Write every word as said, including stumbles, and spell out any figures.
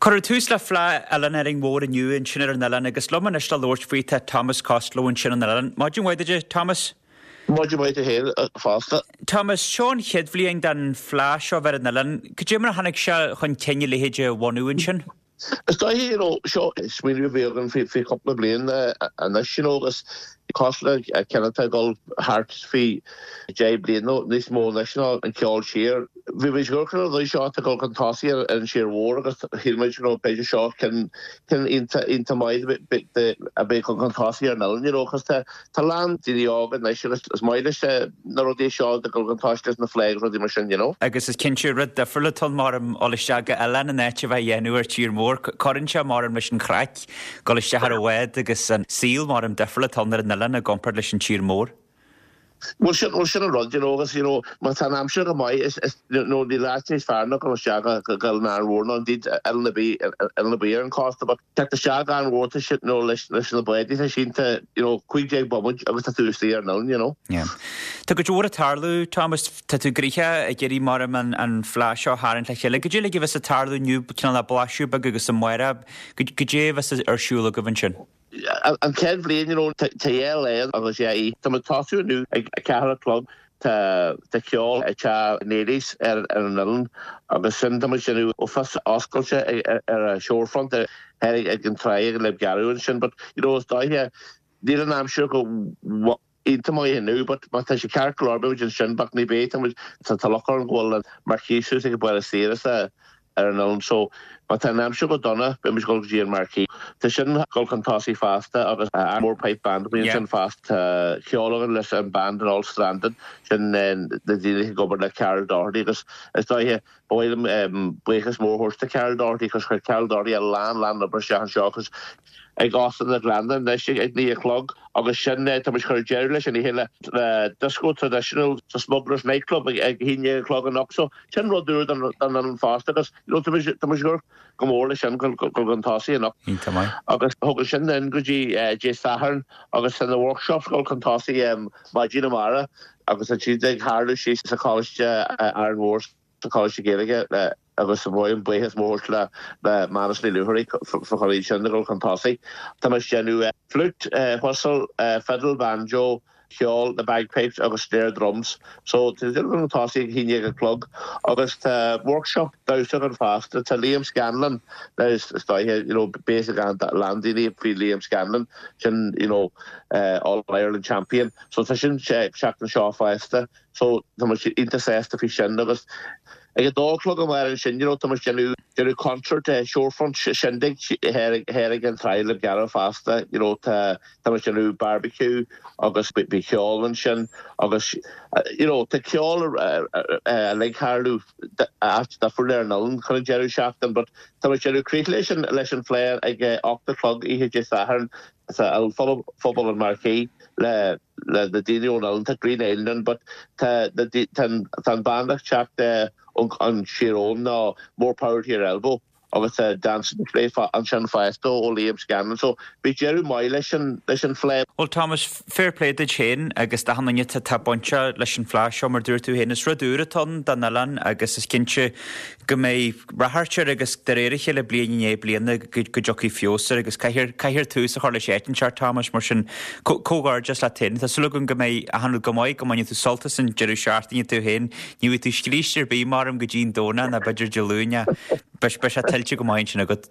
Cuireadh tús le Fleadh Oileáin Árainn Mhór inniu ansin ar an oileán agus liom anois le labhairt faoi tá Thomas Costello ansin an oileán. Maidin mhaith duit, Thomas? Maidin mhaith duit féin fosta. Thomas, seo an chéad bhliain den Fleadh seo bheith ar an oileán. Cad é mar a tháinig sé chun cinn a leithéid a bhunú ansin? Is dóiche you know, seo smaoineamh a bhí againn faoi faoi chúpla bliain anois you know, agus cosúil le ceann atá ag dul thart faoi deich bliain nó níos mó anois ná an ceol siar. Bhí muid ag amharc ar an rudaí seo atá ag dul chun tosaigh ar an tír mhór agus shíl muid you know, b'fhéidir seo ceann ceann iontach iontach maith a bheith chun chun tosaigh ar an oileán you know, cos tá tá lán daoine óga anois agus is maith leis na rudaí seo ag dul chun tosaigh leis na fleadh agus rudaí mar sin you know. Agus is cinnte rud difriúil atá mar am dul isteach go oileán in áit a bheith dhéanamh ar tír mór, cuireann sé mar am leis an chraic, dul isteach ar an bhád agus an saol mar am difriúil atá ar an oileán i gcomparáid leis an tír mór. Well sin well sin an rud you know, agus you know, má tá an aimsir go maith is is no níl áit níos fearr ná dul isteach go go Árainn Mhór ná indeed oileán ar bith oileán ar bith ar an cósta but teacht isteach Árainn Mhór tá sin no leis leis na báid tá sínte you know, cúig déag bomaint agus tá tú istigh ar an oileán you know. Yeah. Tá go leor ag tarlú Thomas tá tú gnoitheach ag iarraidh mar am an an fleadh seo a tharraingt le chéile. Cad é a bheas ag tarlú inniu cineál le blaiseadh beag agus amárach cad é a bheas ar siúl agaibh ansin. An chéad bhliain you know, tá lá agus é Tá muid tosú inniu ag a ceathair a chlog tá tá ceol ag teach Néilís ar ar an oileán agus sin tá muid déanamh office oscailte ar a shorefront ar ag an trá le gearú ansin, but you know, is dóiche níl an aimsir go iontach maith inniu, but má tá sé ceart go leor beidh ansin but ní bheidh tá muid tá tá loch ar an go bhfuil an marquee suas ag baile saoire ar an oileán so má tá an aimsir go dona beidh muid dul go dtí an marquee. Tá sin dul chun tosaigh fosta agus Mór Pipe Band bíonn sin fosta ceol againn leis an band an All Stranded sin na daoine ag obair le Carol Doherty agus is dóiche ba mhaith liom buíochas mór a thabhairt do Carol Doherty cos chuir Carol Doherty a lán lán obair isteach anseo agus ag Óstán na Gleanna anois ag naoi a chlog agus sin tá muid chur deireadh leis an oíche le le disco traditional sa Smugglers nightclub ag ag haon déag a chlog anocht so sin rud úr don don oileán fosta agus you know, tá muid tá muid ag go mór leis sin go go chun tosaigh anocht. Iontach maith. Agus thug sin in go dtí Dé Sathairn agus san na workshops go chun tosaigh um, maidin amárach agus an siad ag tarlú síos sa Choláiste Árainn Mhór sa Choláiste Gaeilge le agus sa bhfuil buíochas mór le le Manus Ní Luthairí fá choinne sin go chun tosaigh. Tá muid déanamh flute, whistle, fiddle, banjo, ceol, na bagpipes agus snare drums. So tá an tosaigh ag haon déag a chlog agus tá workshop damhsa an fosta tá Liam Scanlon is dóiche you know, basic an landíní faoi Liam Scanlon sin you know, uh, All Ireland champion. So tá sin seachtain seo fosta so tá muid iontach sásta faoi sin agus ag a dó a chlog amárach ansin you know, tá muid déanamh déanamh concert uh, shorefront shindig thoir ag an trá le gearradh fosta you know, tá tá muid déanamh barbecue agus bhí ceol ansin agus uh, you know, tá ceol ag tarlú difriúil ar an oileán chun an deireadh seachtain, but tá muid déanamh críoch leis an leis an Fleadh ag ocht a chlog oíche Dé Sathairn sa phuball an Marquee le le na daoine ón oileán tá Green Island but tá tá an band ag teacht an siar ná more power to your elbow agus uh, dance play ansin fosta ó Liam Scanlon so bhí deireadh maith leis an leis an Fleadh. Well Thomas fair play duit féin agus d'achan duine atá bainteach leis an Fleadh seo mar dúirt tú féin is rud úr atá ann don oileán agus is cinnte go mbeidh rath air agus de réir a chéile bliain i ndiaidh bliana go dtiocfaidh feabhas air agus caithfear caithfear tús a chur leis áit inteacht Thomas mar sin comhghairdeas leat féin. Tá súil agam go mbeidh achan rud go maith go mbainfidh tú sult as an deireadh seachtaine tú féin, ní bheidh tú scríste ar bith mar am go dtí an Domhnach ná b'fhéidir Dé Luain beidh sé tuillte go maith sin agat.